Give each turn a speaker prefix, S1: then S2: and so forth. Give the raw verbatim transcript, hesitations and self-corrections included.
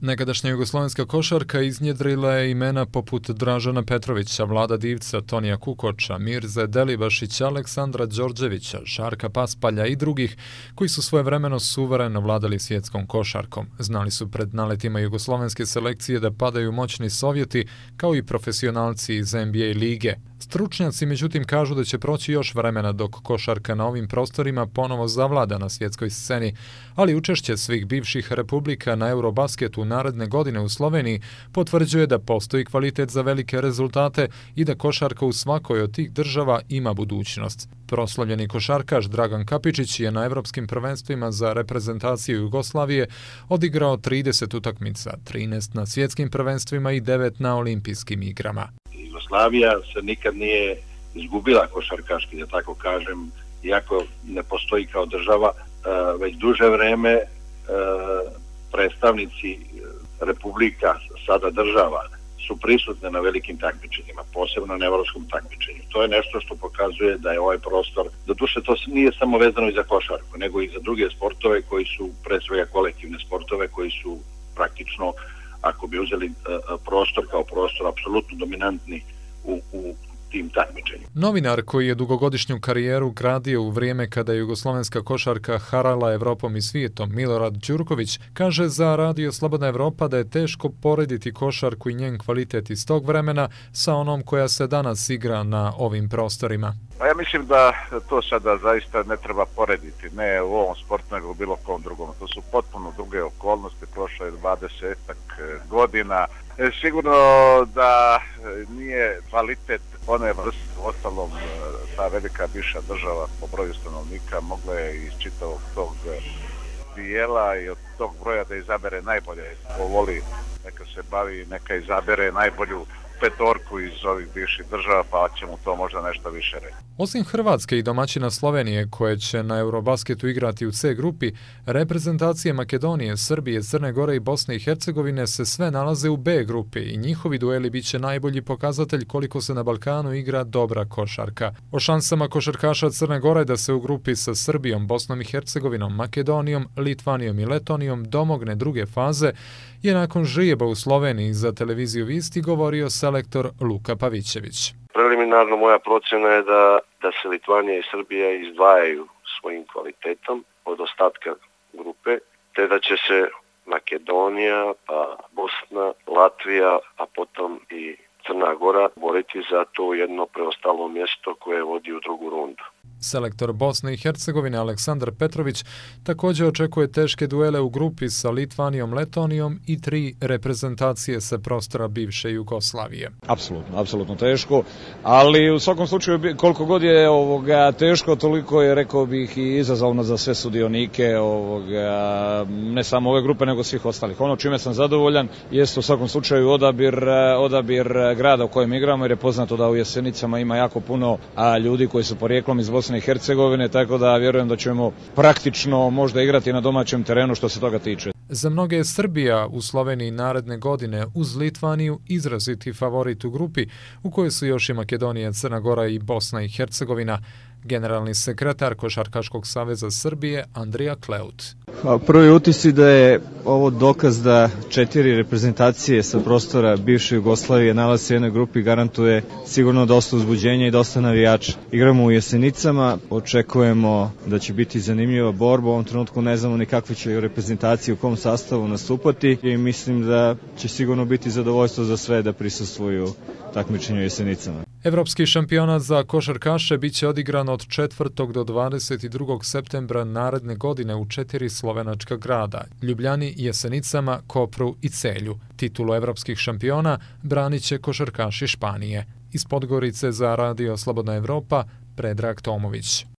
S1: Nekadašnja jugoslovenska košarka iznjedrila je imena poput Dražana Petrovića, Vlada Divca, Tonija Kukoča, Mirze Delibašića, Aleksandra Đorđevića, Žarka Paspalja i drugih koji su svojevremeno suvereno vladali svjetskom košarkom. Znali su pred naletima jugoslovenske selekcije da padaju moćni Sovjeti, kao i profesionalci iz N B A lige. Stručnjaci međutim kažu da će proći još vremena dok košarka na ovim prostorima ponovo zavlada na svjetskoj sceni, ali učešće svih bivših republika na Eurobasketu naredne godine u Sloveniji potvrđuje da postoji kvalitet za velike rezultate i da košarka u svakoj od tih država ima budućnost. Proslavljeni košarkaš Dragan Kapičić je na evropskim prvenstvima za reprezentaciju Jugoslavije odigrao trideset utakmica, trinaest na svjetskim prvenstvima i devet na olimpijskim igrama.
S2: Jugoslavija se nikad nije izgubila košarkaški, da tako kažem, iako ne postoji kao država, već duže vreme predstavnici republika, sada država, su prisutne na velikim takmičenjima, posebno na evropskom takmičenju. To je nešto što pokazuje da je ovaj prostor, doduše to nije samo vezano i za košarku, nego i za druge sportove koji su, pre svega kolektivne sportove, koji su praktično, ako bi uzeli prostor kao prostor, apsolutno dominantni u, u tim takmičenjima.
S1: Novinar koji je dugogodišnju karijeru gradio u vrijeme kada je jugoslovenska košarka harala Evropom i svijetom, Milorad Đurković, kaže za Radio Slobodna Evropa da je teško porediti košarku i njen kvalitet iz tog vremena sa onom koja se danas igra na ovim prostorima.
S3: Pa ja mislim da to sada zaista ne treba porediti, ne u ovom sportu nego u bilo kom drugom. To su potpuno druge okolnosti, prošlo je dvadesetak godina. E, sigurno da nije kvalitet one vrste, ostalom ta velika bivša država po broju stanovnika mogla je iz čitavog tog dijela i od tog broja da izabere najbolje. Ko voli, neka se bavi, neka izabere najbolju petorku iz ovih bivših država, pa će mu to možda nešto više reći.
S1: Osim Hrvatske i domaćina Slovenije, koje će na Eurobasketu igrati u C grupi, reprezentacije Makedonije, Srbije, Crne Gore i Bosne i Hercegovine se sve nalaze u B grupi i njihovi dueli bit će najbolji pokazatelj koliko se na Balkanu igra dobra košarka. O šansama košarkaša Crne Gore da se u grupi sa Srbijom, Bosnom i Hercegovinom, Makedonijom, Litvanijom i Letonijom domogne druge faze je nakon žrijeba u Sloveniji za televiziju Visti govorio selektor Luka Pavićević.
S4: Preliminarno moja procjena je da, da se Litvanija i Srbija izdvajaju svojim kvalitetom od ostatka grupe, te da će se Makedonija, pa Bosna, Latvija, a potom i Crna Gora boriti za to jedno preostalo mjesto koje vodi u drugu rundu.
S1: Selektor Bosne i Hercegovine Aleksandar Petrović također očekuje teške duele u grupi sa Litvanijom, Letonijom i tri reprezentacije sa prostora bivše Jugoslavije.
S5: Apsolutno, apsolutno teško, ali u svakom slučaju koliko god je ovoga teško, toliko je, rekao bih, i izazovno za sve sudionike ovoga, ne samo ove grupe nego svih ostalih. Ono čime sam zadovoljan jeste u svakom slučaju odabir, odabir grada u kojem igramo, jer je poznato da u Jesenicama ima jako puno a, ljudi koji su porijeklom iz Bosne i Hercegovine, tako da vjerujem da ćemo praktično možda igrati na domaćem terenu što se toga tiče.
S1: Za mnoge je Srbija u Sloveniji naredne godine uz Litvaniju izraziti favorit u grupi u kojoj su još i Makedonija, Crna Gora i Bosna i Hercegovina. Generalni sekretar Košarkaškog saveza Srbije Andrija Kleut.
S6: Prvi utisci da je ovo dokaz da četiri reprezentacije sa prostora bivše Jugoslavije nalaze se u jednoj grupi, garantuje sigurno dosta uzbuđenja i dosta navijača. Igramo u Jesenicama, očekujemo da će biti zanimljiva borba, u ovom trenutku ne znamo ni kakve će reprezentacije u kom sastavu nastupati i mislim da će sigurno biti zadovoljstvo za sve da prisustvuju takmičenju u Jesenicama.
S1: Evropski šampionat za košarkaše bit će odigran od četvrtog do dvadeset drugog septembra naredne godine u četiri slovenačka grada: Ljubljani, Jesenicama, Kopru i Celju. Titulu evropskih šampiona branit će košarkaši Španije. Iz Podgorice za Radio Slobodna Evropa, Predrag Tomović.